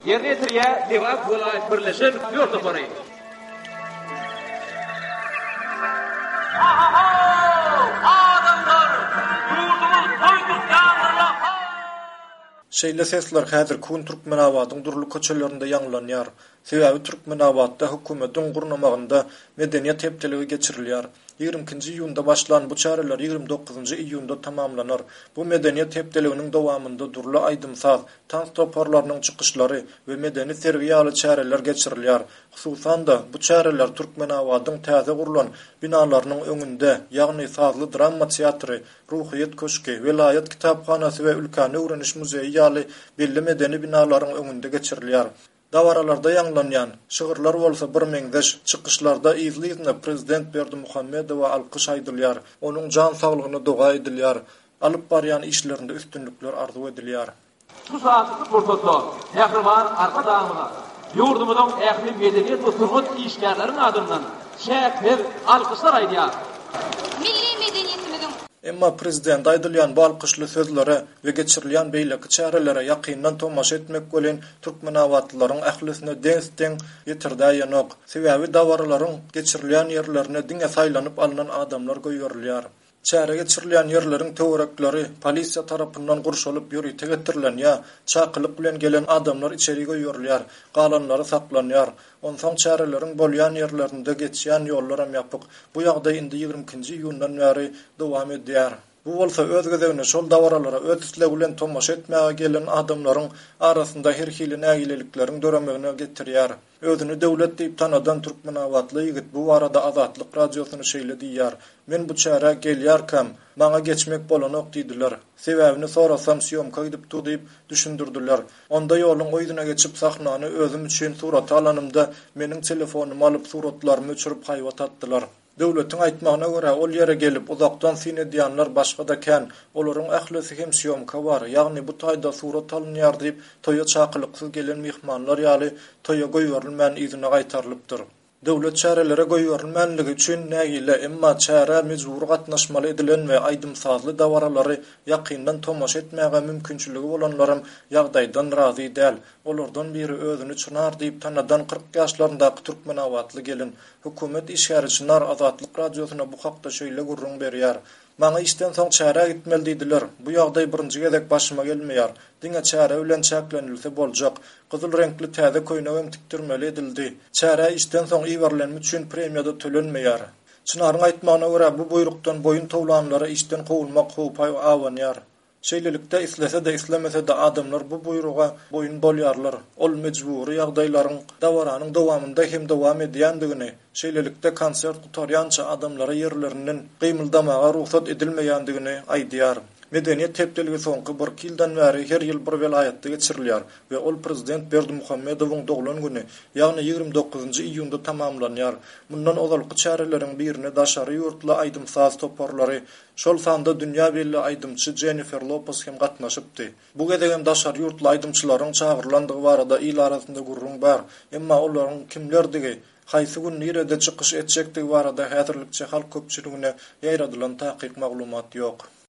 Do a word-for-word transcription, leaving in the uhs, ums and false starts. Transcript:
Ýerine ýetirýär Lebap welaýat birleşen dört topary. Adamlar! Ýurdumyz toý tutýandyr-la! Şeýle sesler häzirki gün Türkmenabadyň dürli köçelerinde ýaňlanýar. Sebäbi Türkmenabatda hökümetiň gurnamagynda Medeniýet hepdeligi geçirilýär. Ýigrimi ikinji iýunda başlan bu çäreler ýigrimi dokuzynjy iýunda tamamlanar. Bu Medeniýet hepdeliginiň dowamynda dürli aýdym-saz, tans toparlarynyň çykyşlary we medeni sergi ýaly çäreler geçirilýär. Hususan-da, bu çäreler Türkmenabadyň täze gurlan binalarynyň öňünde, ýagny sazly drama teatry, Ruhyýet köşgi, welaýat kitaphanasy we ülkäni öwreniş muzeýi ýaly belli medeni binalaryň öňünde geçirilýär. Dabaralarda ýaňlanýan şygyrlar bolsa birmeňzeş, çykyşlarda yzly-yzyna prezident Berdimuhamedowa alkyş aýdylýar, onuň jan saglygyna doga edilýär, alyp barýan işlerinde üstünlikler arzuw edilýär. Şu şatlykly pursatda mähriban Arkadagymyza ýurdumyzyň ähli medeniýet we sungat işgärleriniň adyndan çäksiz alkyşlar aýdýarys. Milli medeniýetimiziň. Emma prezidente aýdylýan bu alkyşly sözlere we geçirilýän beýleki çärelere ýakyndan tomaşa etmek welin türkmenabatlylaryň ählisine des-deň ýetirdäýenok. Sebäbi dabaralaryň geçirilýän ýerlerine diňe saýlanyp alnan adamlar goýberilýär. Çäre geçirilýän ýerleriň töwerekleri polisiýa tarapyndan gurşalyp ýörite getirilen ýa çakylyk bilen gelen adamlar içeri goýberilýär, galanlary saklanýar. Onsoň çäreleriň bolýan ýerlerinde geçýän ýollaram ýapyk. Bu ýagdaý indi ýigrimi ikinji iýundan bäri dowam edýär. Bu bolsa öz gezeginde şol dabaralara öz islegi bilen tomaşa etmäge gelen adamlaryň arasynda her hili nägilelikleriň döremegine getirýär. Özüni Döwlet diýip tanadan türkmenabatly ýigit bu barada Azatlyk Radiosyna şeýle diýýär, Men bu çärä gelýärkäm, maňa geçmek bolanok diýdiler. Sebäbini sorasam sýomka gidip dur diýip düşündirdiler. Onda ýoluň o ýüzüne geçip sahnany özüm üçin surata alanymda meniň telefonymy alyp suratlarymy öçürip haýbat atdylar. Döwletiň aýtmagyna görä, ol ýere gelip, uzakdan syn edýänler başga-da kän. Olaryň ählisi hem sýomka bar, ýagny bu taýda surat alynýar diýip, toýa çakylyksyz gelen myhmanlar ýaly toýa goýberilmän yzyna gaýtarylypdyr. Döwlet çärelere goýberilmänligi üçin nägile, emma çärä mejbury gatnaşmaly edilen we aýdym-sazly dabaralary ýakyndan tomaşa etmäge mümkinçiligi bolanlaram ýagdaýdan razy däl. Olardan biri özüni Çynar diýip tanadan kyrk ýaşlaryndaky türkmenabatly gelin. Hökümet işgäri Çynar Azatlyk Radiosyna bu hakda şeýle gürrüň berýär, Maňa işden soň çärä gitmeli diýdiler. Bu ýagdaý birinji gezek başyma gelmeýär. Diňe çäre bilen çäklenilse boljak. Gyzyl reňkli täze köýnegem tikdirmeli edildi. Çärä işden soň iberilenim üçin premiýa-da tölenmeýär. Çynaryň aýtmagyna görä, bu buýrukdan boýun towlanlara işden kowulmak howpy abanýar. Şeýlelikde, islese-de, islemese-de adamlar bu buýruga boýun bolýarlar. Ol mejbury ýagdaýlaryň dabaranyň dowamynda hem dowam edýändigini, şeýlelikde, konsert gutarýança adamlara ýerlerinden gymyldamaga rugsat edilmeýändigini aýdýar. Medeniýet hepdeligi soňky birki ýyldan bäri her ýyl bir welaýatda geçirilýär we ol prezident Berdimuhamedowyň doglan güni, ýagny ýigrimi dokuzynjy iýunda tamamlanýar. Mundan ozalky çäreleriň birine daşary ýurtly aýdym-saz toparlary, şol sanda dünýä belli aýdymçy Jennifer Lopez hem gatnaşypdy. Bu gezegem daşary ýurtly aýdymçylaryň çagyrylandygy barada il arasynda gürrüň bar, emma olaryň kimlerdigi, haýsy gün nirede çykyş etjekdigi barada häzirlikçe halk köpçüligine ýaýradylan takyk maglumat ýok.